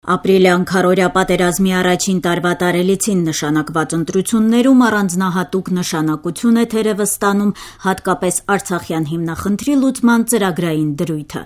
Ապրիլյան քարորյա պատերազմի առաջին տարվա տարելիցին նշանակված ընտրություններում առանձնահատուկ նշանակություն է թերևս ստանում հատկապես Արցախյան հիմնախնդրի լուծման ծրագրային դրույթը։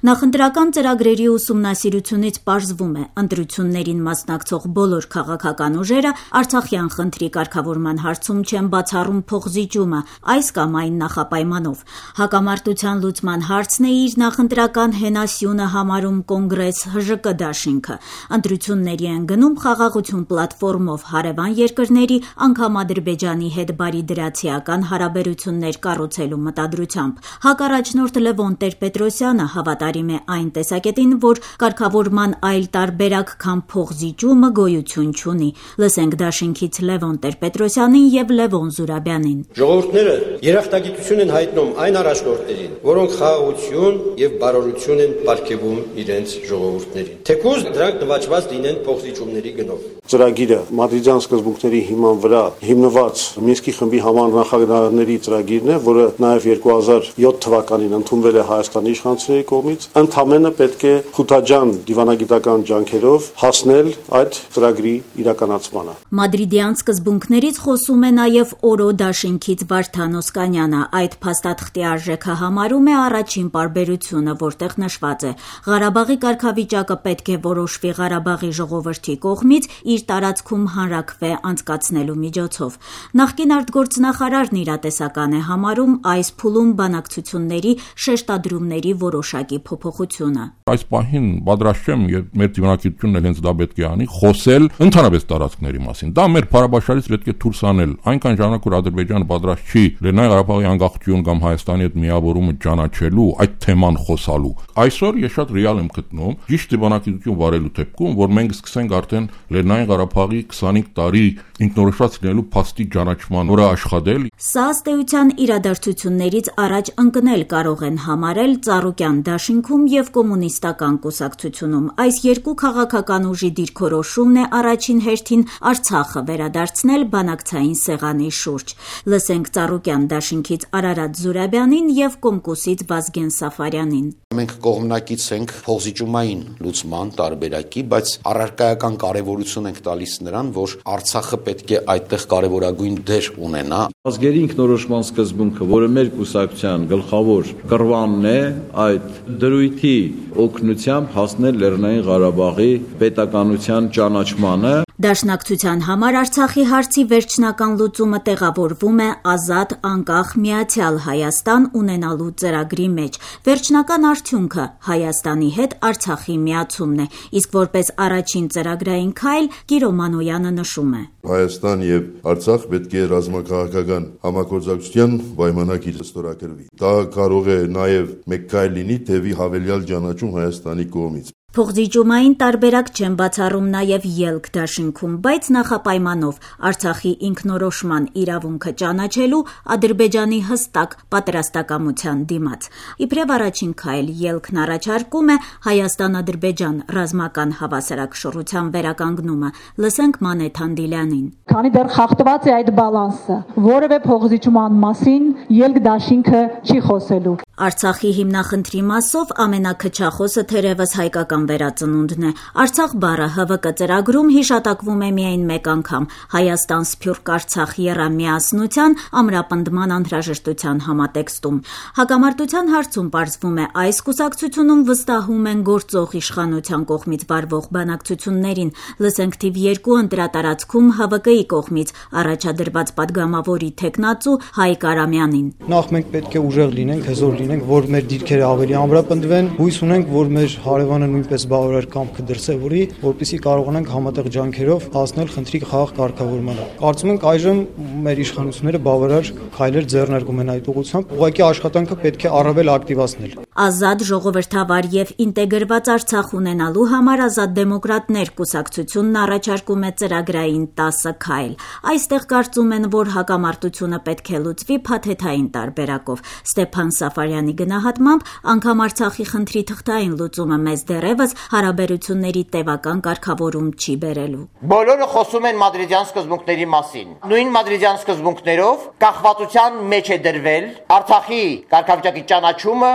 Նախընտրական ծրագրերի ուսումնասիրությունից պարզվում է, ընտրություններին մասնակցող բոլոր քաղաքական ուժերը Արցախյան խնդրի կարգավորման հարցում չեն բացառում փոխզիջումը այս կամ այն նախապայմանով։ Հակամարտության լուծման հարցն է իր նախընտրական հենասյունը համարում Կոնգրես ՀԺԿ դաշինքը։ Ընտրությունների են գնում խաղաղություն պլատֆորմով հարևան երկրների, անգամ Ադրբեջանի հետ բարիդրացիական հարաբերություններ կառուցելու մտադրությամբ։ Հակառաջնորդ Լևոն Տեր-Պետրոսյանը հավատարիմ է այն տեսակետին, որ կարգավորման այլ տարբերակ, քան փոխզիջումը գոյություն չունի։ Լսենք դաշինքից Լևոն Տեր-Պետրոսյանին եւ Լևոն Զուրաբյանին։ Ժողովուրդները երախտագիտություն են հայտնում այն առաջնորդներին, որոնք խաղաղություն եւ բարօրություն են պարգևում իրենց ժողովուրդներին։ Թեկուզ դրանք նվաճված լինեն փոխզիջումների գնով։ Ծրագիրը մադրիդյան սկզբունքների հիման վրա հիմնված Մինսկի խմբի համանախագահների ծրագիրն է, որը նաև 2007 թվականին ընդունվել է Հայաստանի իշխանությունների կողմից, ընդամենը պետք է խութաջան դիվանագիտական ջանքերով հասնել այդ ծրագրի իրականացմանը։ Մադրիդյան սկզբունքներից խոսում է նաև Օրո դաշինքից Վարդան Օսկանյանը։ Այդ փաստաթղթի արժեքը համարում է առաջին պարբերությունը, որտեղ նշված է. Ղարաբաղի կարգավիճակը պետք է որոշվի Ղարաբաղի ժողովրդի կողմից իր տարածքում հանրաքվե անցկացնելու միջոցով։ Նախկին արտգործնախարարն իրատեսական է համարում այս փուլում բանակցությունների շեշտադրումների որոշակի փոփոխությունը։ Այս պահին պատրաստ չեմ, մեր դիվանագիտությունն էլ հենց դա պետք է անի, խոսել ընդհանրապես տարածքների մասին։ Դա մեր փառաբաշարից պետք է դուրս անել։ Այնքան ժամանակ որ Ադրբեջանը պատրաստ չի Լեռնային Ղարաբաղի անկախություն կամ Հայաստանի հետ միավորումը ճանաչելու, այդ թեման խոսալու։ Այսօր ես շատ ռեալ եմ գտնում ճիշտ դիվանագիտություն վարելու դեպքում, որ մենք սկսենք արդեն Լեռնային Ղարաբաղի 25 տարի ինքնորոշված լինելու փաստի ճանաչման վրա աշխատել։ Սա ըստ էության իրադարձություններից առաջ ընկնել կարող են համարել Ծառուկյան դաշինքում եւ Կոմունիստական կուսակցությունում։ Այս երկու քաղաքական ուժի դիրքորոշումն է առաջին հերթին Արցախը վերադարձնել բանակցային սեղանի շուրջ։ Լսենք Ծառուկյան դաշինքից Արարատ Զուրաբյանին եւ Կոմկուսից Վազգեն Սաֆարյանին։ Մենք կողմնակից ենք փոխզիջումային լուծման տարբերակի, բայց առարկայական կարևորություն ենք տալիս նրան, որ Արցախը պետք է այդտեղ կարևորագույն դեր ունենա։ Ազգերի ինքնորոշման սկզբունքը, որը մեր կուսակցության գլխավոր կռվանն է, այդ դրույթի օգնությամբ հասնել Լեռնային Ղարաբաղի պետականության ճանաչմանը։ Դաշնակցության համար Արցախի հարցի վերջնական լուծումը տեղավորվում է ազատ, անկախ, միացյալ Հայաստան ունենալու ծրագրի մեջ։ Վերջնական արդյունքը Հայաստանի հետ Արցախի միացումն է, իսկ որպես առաջին ծրագրային քայլ Կիրո Մանոյանը նշում է. Հայաստան եւ Արցախ պետք է ռազմաքաղաքական համագործակցության պայմանագիր ստորագրվի։ Դա կարող է նաեւ մեկ քայլ լինի թեւի հավելյալ ճանաչում Հայաստանի կողմից։ Փոխզիջումային տարբերակ չեն բացառում նաև ելք դաշինքում, բայց նախապայմանով Արցախի ինքնորոշման իրավունքը ճանաչելու Ադրբեջանի հստակ պատրաստակամության դիմաց։ Իբրև առաջին քայլ ելքն առաջարկում է Հայաստան-Ադրբեջան ռազմական հավասարակշռության վերականգնումը։ Լսենք Մանեթ Հանդիլյանին։ Քանի դեռ խախտված է այդ բալանսը, որևէ փոխզիջման մասին ելք դաշինքը չի խոսելու։ Արցախի հիմնախնդրի մասով ամենաքչախոսը թերևս հայկական վերածնունդն է։ Արցախ բառը ՀՎԿ ծրագրում հիշատակվում է միայն մեկ անգամ Հայաստան Սփյուռք Արցախ եռամիասնության ամրապնդման անհրաժեշտության համատեքստում։ Հակամարտության հարցում պարզվում է այս կուսակցությունում վստահում են գործող իշխանության կողմից վարվող բանակցություններին։ Լսենք թիվ 2 ընտրատարածքում ՀՎԿ-ի կողմից առաջադրված падգամավորի թեկնածու Հայկ Արամյանին։ Նախ մենք պետք է ուժեղ լինենք, հզոր լինենք, որ մեր դիրքերը ավելի ամրապնդվեն, հույս ունենք, որ մեր հարևանը նույնպես բավարար կամքը դրսևորի, որպեսզի կարողանանք համատեղ ջանքերով հասնել խնդրի խաղաղ կարգավորմանը։ Կարծում ենք այժմ մեր իշխանությունները բավարար քայլեր ձեռնարկում են այդ ուղղությամբ, ուղղակի աշխատանքը պետք է առավել ակտիվացնել։ Ազատ, ժողովրդավար եւ ինտեգրված Արցախ ունենալու համար Ազատ դեմոկրատներ կուսակցությունն առաջարկում է ծրագրային 10 քայլ։ Այստեղ կարծում են, որ հակամարտությունը պետք է լուծվի փաթեթային տարբերակով։ Ստեփան Սաֆարյանի գնահատմամբ անգամ Արցախի խնդրի թղթային լուծումը մեզ դեռևս հարաբերությունների տևական կարգավորում չի բերելու։ Բոլորը խոսում են մադրիդյան սկզբունքների մասին։ Նույն մադրիդյան սկզբունքներով կախվածության մեջ է դրվել Արցախի կարգավիճակի ճանաչումը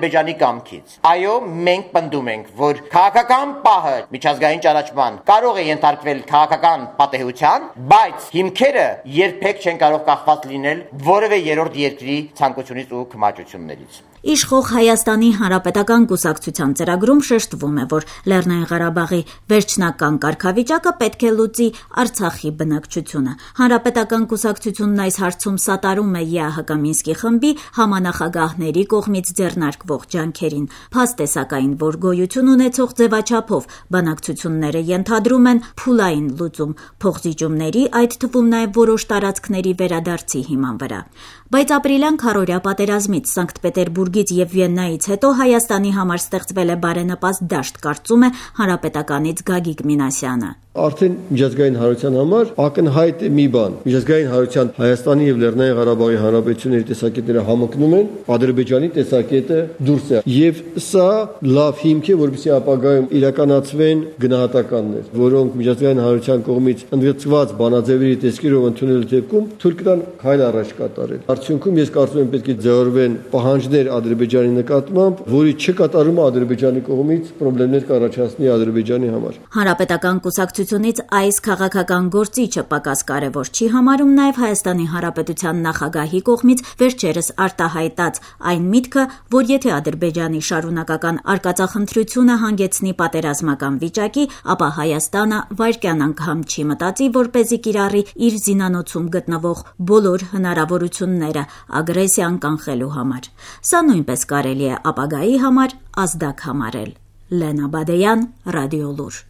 Ադրբեջանի կամքից։ Այո, մենք պնդում ենք, որ քաղաքական պահը միջազգային ճանաչման կարող է ենթարկվել քաղաքական պատեհության, բայց հիմքերը երբեք չեն կարող կախված լինել որևէ երրորդ երկրի ցանկությունից ու քմահաճություններից։ Իշխող Հայաստանի Հանրապետական կուսակցության ծրագրում շեշտվում է, որ Լեռնային Ղարաբաղի վերջնական կարգավիճակը պետք է լուծի Արցախի բնակչությունը։ Հանրապետական կուսակցությունն այս հարցում սատարում է ԵԱՀԿ Մինսկի խմբի համանախագահների կողմից ձեռնարկվող ջանքերին։ Փաստ է սակայն, որ գոյություն ունեցող ձևաչափով բանակցությունները ենթադրում են փուլային լուծում փոխզիջումների, այդ թվում նաև որոշ տարածքների վերադարձի հիման վրա։ Բայց ապրիլյան քառօրյա պատերազմից, Սանկտ Պետերբուրգից եւ Վիեննայից հետո Հայաստանի համար ստեղծվել է բարենպաստ դաշտ, կարծում է Հանրապետականից Գագիկ Մինասյանը։ Արդեն միջազգային հանրության համար ակնհայտ է մի բան։ Միջազգային հանրության Հայաստանի եւ Լեռնային Ղարաբաղի հանրապետությունների տեսակետները համընկնում են, Ադրբեջանի տեսակետը դուրս է։ Եվ սա լավ հիմք է, որպեսզի ապագայում իրականացվեն գնահատականներ, որոնք միջազգային հանրության կողմից ընդգծված բանաձևերի տեսքերով ընդունելու դեպքում թույլ կտան քայլ առաջ կատարել։ Արդյունքում ես կարծում եմ պետք է ձևավորվեն պահանջներ Ադրբեջանի նկատմամբ, որի չկատարումը Ադրբեջանի կողմից խնդիրներ կառաջացնի Ադրբեջանի համար։ Հանրապետական կուսակցությունից այս քաղաքական գործիչը պակաս կարևոր չի համարում նաև Հայաստանի Հանրապետության նախագահի կողմից վերջերս արտահայտած այն միտքը, որ եթե Ադրբեջանի շարունակական արկածախնդրությունը հանգեցնի պատերազմական վիճակի, ապա Հայաստանը վայրկյան անգամ չի մտածի, որպեսզի կիրառի իր զինանոցում գտնվող բոլոր հնարավորությունները ագրեսիան կանխելու համար։ Սա նույնպես կարելի է ապագայի համար ազդակ համարել։ Լենա Բադեյան, Ռադիոլուր։